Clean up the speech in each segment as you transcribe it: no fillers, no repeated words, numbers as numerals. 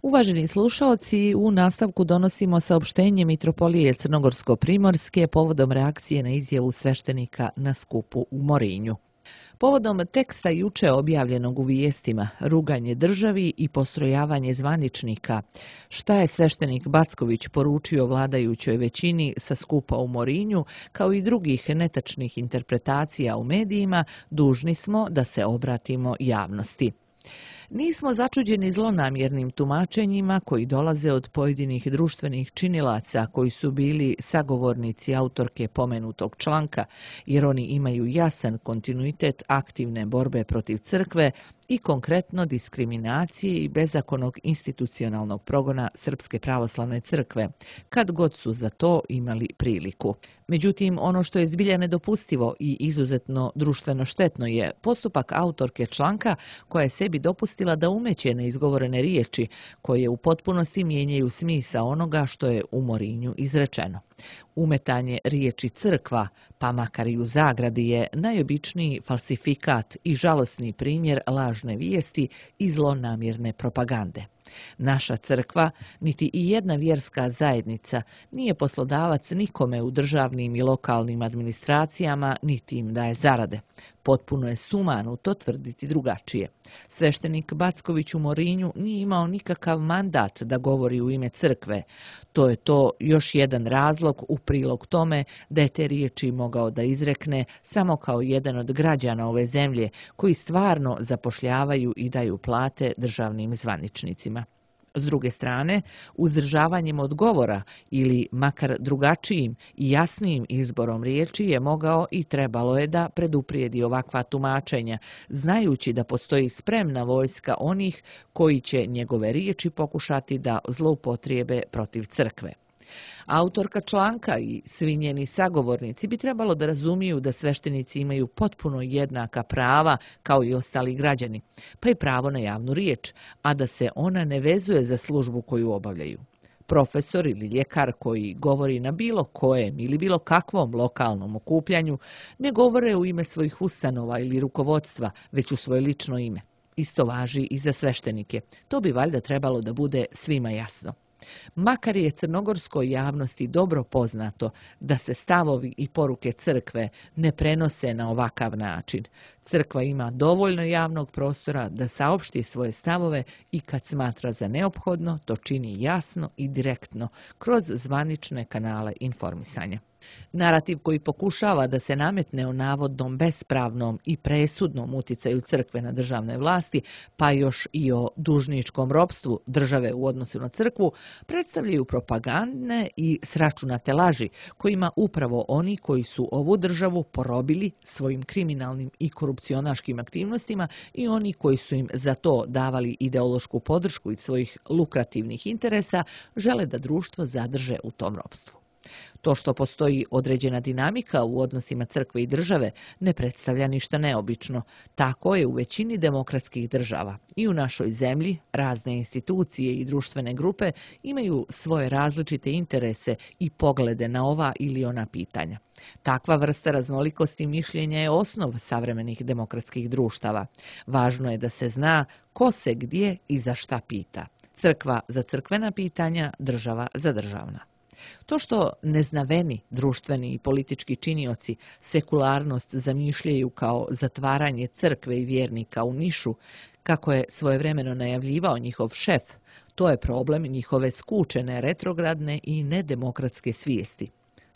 Uvaženi slušaoci, u nastavku donosimo saopštenje Mitropolije Crnogorsko-Primorske povodom reakcije na izjavu sveštenika na skupu u Morinju. Povodom teksta juče objavljenog u vijestima Ruganje državi i postrojavanje zvaničnika, šta je sveštenik Backović poručio vladajućoj većini sa skupa u Morinju, kao i drugih netačnih interpretacija u medijima, dužni smo da se obratimo javnosti. Nismo začuđeni zlonamjernim tumačenjima koji dolaze od pojedinih društvenih činilaca koji su bili sagovornici autorke pomenutog članka, jer oni imaju jasan kontinuitet aktivne borbe protiv crkve i konkretno diskriminacije i bezakonnog institucionalnog progona Srpske pravoslavne crkve, kad god su za to imali priliku. Međutim, ono što je zbilja nedopustivo i izuzetno društveno štetno je postupak autorke članka koja je sebi dopustila da umeće neizgovorene riječi koje u potpunosti mijenjaju smisao onoga što je u Morinju izrečeno. Umetanje riječi crkva, pa makar i u zagradi, je najobičniji falsifikat i žalosni primjer lažne vijesti i zlonamjerne propagande. Naša crkva, niti i jedna vjerska zajednica, nije poslodavac nikome u državnim i lokalnim administracijama, niti im daje zarade. Potpuno je sumanuto tvrditi drugačije. Sveštenik Backović u Morinju nije imao nikakav mandat da govori u ime crkve. To je još jedan razlog u prilog tome da je te riječi mogao da izrekne samo kao jedan od građana ove zemlje koji stvarno zapošljavaju i daju plate državnim zvaničnicima. S druge strane, uzdržavanjem od govora ili makar drugačijim i jasnijim izborom riječi je mogao i trebalo je da preduprijedi ovakva tumačenja, znajući da postoji spremna vojska onih koji će njegove riječi pokušati da zloupotrijebe protiv crkve. Autorka članka i svi njeni sagovornici bi trebalo da razumiju da sveštenici imaju potpuno jednaka prava kao i ostali građani, pa i pravo na javnu riječ, a da se ona ne vezuje za službu koju obavljaju. Profesor ili ljekar koji govori na bilo kojem ili bilo kakvom lokalnom okupljanju ne govore u ime svojih ustanova ili rukovodstva, već u svoje lično ime. Isto važi i za sveštenike. To bi valjda trebalo da bude svima jasno. Makar je crnogorskoj javnosti dobro poznato da se stavovi i poruke crkve ne prenose na ovakav način. Crkva ima dovoljno javnog prostora da saopšti svoje stavove i kad smatra za neophodno, to čini jasno i direktno kroz zvanične kanale informisanja. Narativ koji pokušava da se nametne o navodnom bespravnom i presudnom uticaju crkve na državne vlasti, pa još i o dužničkom ropstvu države u odnosu na crkvu, predstavljaju propagandne i sračunate laži kojima upravo oni koji su ovu državu porobili svojim kriminalnim i korupcionaškim aktivnostima i oni koji su im za to davali ideološku podršku iz svojih lukrativnih interesa, žele da društvo zadrže u tom ropstvu. To što postoji određena dinamika u odnosima crkve i države ne predstavlja ništa neobično. Tako je u većini demokratskih država. I u našoj zemlji razne institucije i društvene grupe imaju svoje različite interese i poglede na ova ili ona pitanja. Takva vrsta raznolikosti mišljenja je osnov savremenih demokratskih društava. Važno je da se zna ko se gdje i za šta pita. Crkva za crkvena pitanja, država za državna. To što neznaveni društveni i politički činioci sekularnost zamišljaju kao zatvaranje crkve i vjernika u nišu, kako je svojevremeno najavljivao njihov šef, to je problem njihove skučene, retrogradne i nedemokratske svijesti.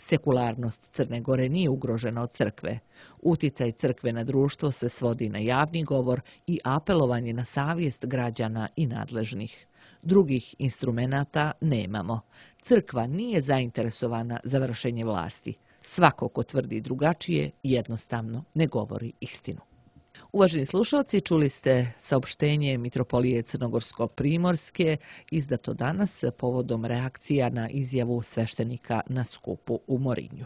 Sekularnost Crne Gore nije ugrožena od crkve. Uticaj crkve na društvo se svodi na javni govor i apelovanje na savjest građana i nadležnih. Drugih instrumenata nemamo. Crkva nije zainteresovana za vršenje vlasti. Svako ko tvrdi drugačije jednostavno ne govori istinu. Uvaženi slušalci, čuli ste saopštenje Mitropolije Crnogorsko-Primorske izdato danas povodom reakcija na izjavu sveštenika na skupu u Morinju.